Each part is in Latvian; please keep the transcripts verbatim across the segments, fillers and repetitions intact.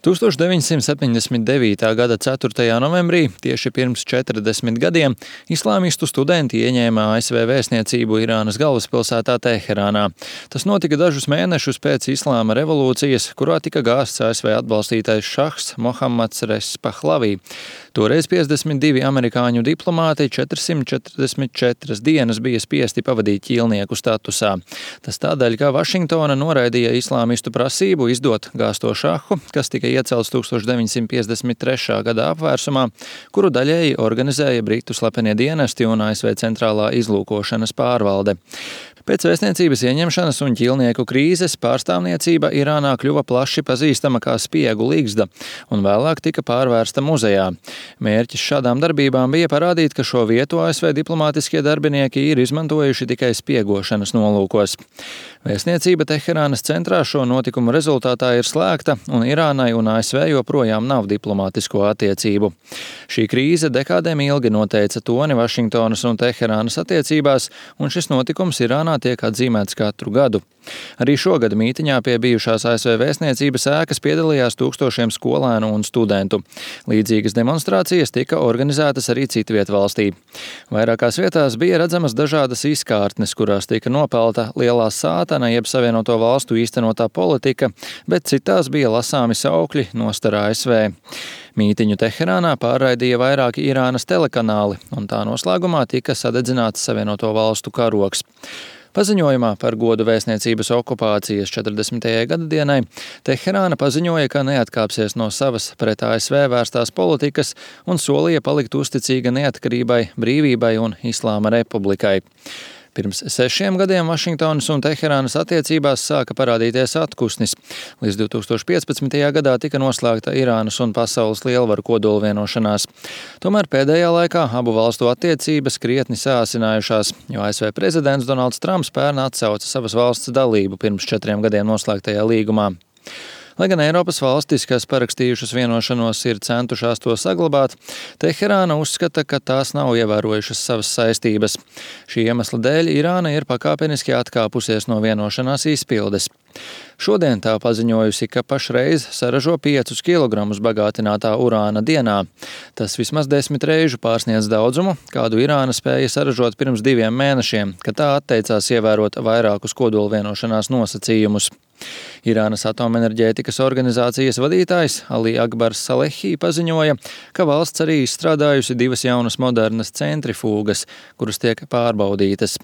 tūkstoš deviņsimt septiņdesmit devītā gada ceturtajā novembrī, tieši pirms četrdesmit gadiem, islāmistu studenti ieņēma A S V vēstniecību Irānas galvaspilsētā Teherānā. Tas notika dažus mēnešus pēc Islāma revolūcijas, kurā tika gāsts A S V atbalstītais šahs Mohammads Reza Pahlavī. Toreiz piecdesmit divi amerikāņu diplomāti četrsimt četrdesmit četras dienas bija spiesti pavadīt ķīlnieku statusā. Tas tādēļ, ka Vašingtona noraidīja islāmistu prasību izdot gāsto šahu, kas tika iecelts tūkstoš deviņsimt piecdesmit trešā gada apvērsumā, kuru daļēji organizēja Britu slepenie dienesti un A S V centrālā izlūkošanas pārvalde. Pēc vēstniecības ieņemšanas un ķīlnieku krīzes pārstāvniecība Irānā kļuva plaši pazīstama kā spiegu ligzda un vēlāk tika pārvērsta muzejā. Mērķis šādām darbībām bija parādīt, ka šo vietu A S V diplomātiskie darbinieki ir izmantojuši tikai spiegošanas nolūkos. Vēstniecība Teherānas centrā šo notikumu rezultātā ir slēgta un Irānai un A S V joprojām nav diplomātisko attiecību. Šī krīze dekādēm ilgi noteica toni Vašingtonas un Teherānas attiecībās, un šis notikums Irānā tiek atzīmēts katru gadu. Arī šogad mītiņā pie bijušās A S V vēstniecības ēkas piedalījās tūkstošiem skolēnu un studentu. Līdzīgas demonstrācijas tika organizētas arī citviet valstī. Vairākās vietās bija redzamas dažādas izkārtnes, kurās tika nopelta lielā sātana jeb Savienoto valstu īstenotā politika, bet citās bija lasāmi saukļi nostar A S V. Mītiņu Teherānā pārraidīja vairāki Irānas telekanāli, un tā noslēgumā tika sadedzināts Savienoto valstu karogs. Paziņojumā par godu vēstniecības okupācijas četrdesmitajai gadadienai Teherāna paziņoja, ka neatkāpsies no savas pret A S V vērstās politikas un solīja palikt uzticīga neatkarībai, brīvībai un Islāma republikai. Pirms sešiem gadiem Vašingtonas un Teherānas attiecībās sāka parādīties atpūsnis. Līdz divtūkstoš piecpadsmitajā gadā tika noslēgta Irānas un pasaules lielvaru kodolvienošanās. Tomēr pēdējā laikā abu valstu attiecības krietni sāsinājušās, jo A S V prezidents Donalds Trumps pērn atsauca savas valsts dalību pirms četriem gadiem noslēgtajā līgumā. Lai gan Eiropas valstis, kas parakstījušas vienošanos, ir centušās to saglabāt, Teherāna uzskata, ka tās nav ievērojušas savas saistības. Šī iemesla dēļ Irāna ir pakāpeniski atkāpusies no vienošanās izpildes. Šodien tā paziņojusi, ka pašreiz saražo piecus kilogramus bagātinātā urāna dienā. Tas vismaz desmit reižu pārsniedz daudzumu, kādu Irāna spēja saražot pirms diviem mēnešiem, kad tā atteicās ievērot vairākus kodolvienošanās nosacījumus. Irānas atomenerģētikas organizācijas vadītājs Ali Akbars Salehī paziņoja, ka valsts arī izstrādājusi divas jaunas modernas centrifūgas, kuras tiek pārbaudītas.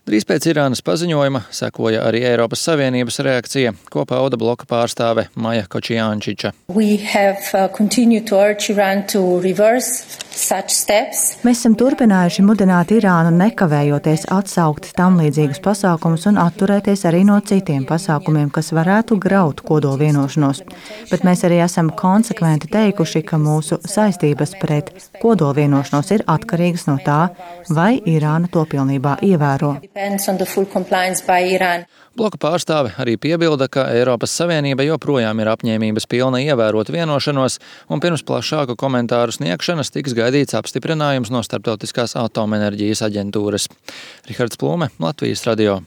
Drīz pēc Irānas paziņojuma sekoja arī Eiropas Savienības reakcija, ko pauda bloka pārstāve Maja Kočiančiča. Mēs esam turpinājuši mudināt Irānu nekavējoties atsaukt tam līdzīgus pasākumus un atturēties arī no citiem pasākumiem, kas varētu graut kodolvienošanos. Bet mēs arī esam konsekventi teikuši, ka mūsu saistības pret kodolvienošanos ir atkarīgas no tā, vai Irāna to pilnībā ievēro. Bloka pārstāve arī piebilda, ka Eiropas Savienība joprojām ir apņēmības pilna ievērot vienošanos, un pirms plašāku komentāru sniegšanas tiks gaidīts apstiprinājums no Starptautiskās atomenerģijas aģentūras. Rihards Plūme, Latvijas radio.